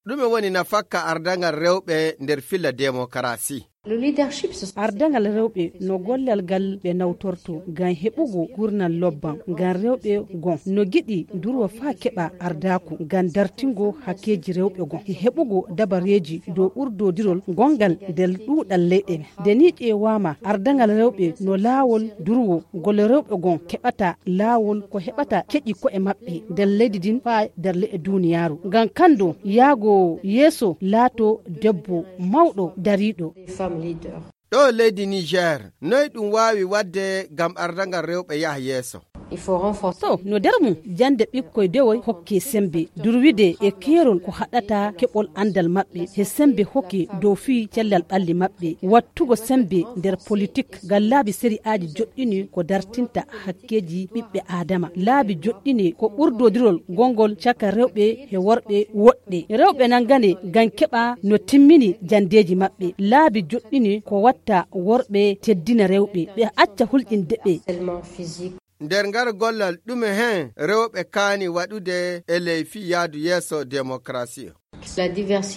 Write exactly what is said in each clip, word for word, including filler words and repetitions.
Ɗume woni nafakka ardaŋal rewɓe nder filla demokarasi? Ardaŋal rewɓe no gollal ngal ɓe nawtorto ngam heɓugo gurnal lobban, ngam rewɓe gon no giɗi durwa faa keɓa ardaaku ngam dartingo hakkeeji rewɓe gon, e heɓugo dabareeji dow ɓurdodirol gonngal nder ɗuuɗal leyɗe. Nde ni ƴeewaama, ardaŋal rewɓe no laawol durwo ngol rewɓe gon keɓata laawol ko heɓata keƴi ko'e maɓɓe nder leydi ndin faa nder le'e duuniyaaru. Ngam kanndo yaago yeeso laato debbo mawɗo dariiɗo. Ɗo leydi Niger, noy ɗum waawi waɗde ngam ardaŋal rewɓe yaha yeeso? To no nder mum jannde ɓikkoy dewoy hokke semmbe durwide e keerol ko haɗata keɓol anndal maɓɓe he semmbe hokke dow fii cellal ɓalli maɓɓe, wattugo semmbe nder politik ngam laabi sari'aaji joɗɗini ko dartinta hakkeeji ɓiɓɓe aadama. Laabi joɗɗini ko ɓurdodirol gonngol caka rewɓe he worɓe woɗɓe. Rewɓe nanngane ngam keɓa no timmini janndeeji maɓɓe. Laabi joɗɗini ko watta worɓe teddina rewɓe, ɓe acca hulƴinde ɓe. Nder ngal gollal, ɗume heen rewɓe kaani waɗude e ley fii yaadu yeeso demokarasi?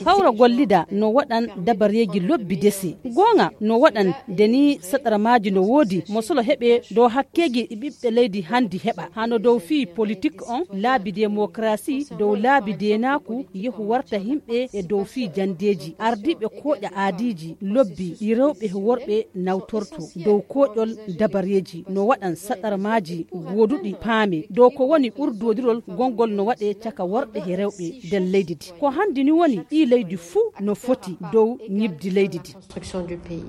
Hawra gollida no waɗan dabareeji lobbi dese. Gooŋa no waɗan nde ni saɗarmaaji no woodi mo solo heɓe dow hakkeeji ɗi ɓiɓɓe leydi hanndi heɓa. Hano dow fii politik on, laabi demokarasi, dow laabi deenaaku, yehu warta himɓe e dow fii janndeeji. Ardiiɓe kooƴa aadiiji lobbi ɗi rewɓe e worɓe nawtorto dow kooƴol dabareeji no waɗan saɗarmaaji gooduɗi paame dow ko woni ɓurdodirol gonngol no waɗe caka worɓe e rewɓe nder leydi ndi. Ko hanndi ni woni ɗii leydi fuu no foti dow ñibdi leydi ndi.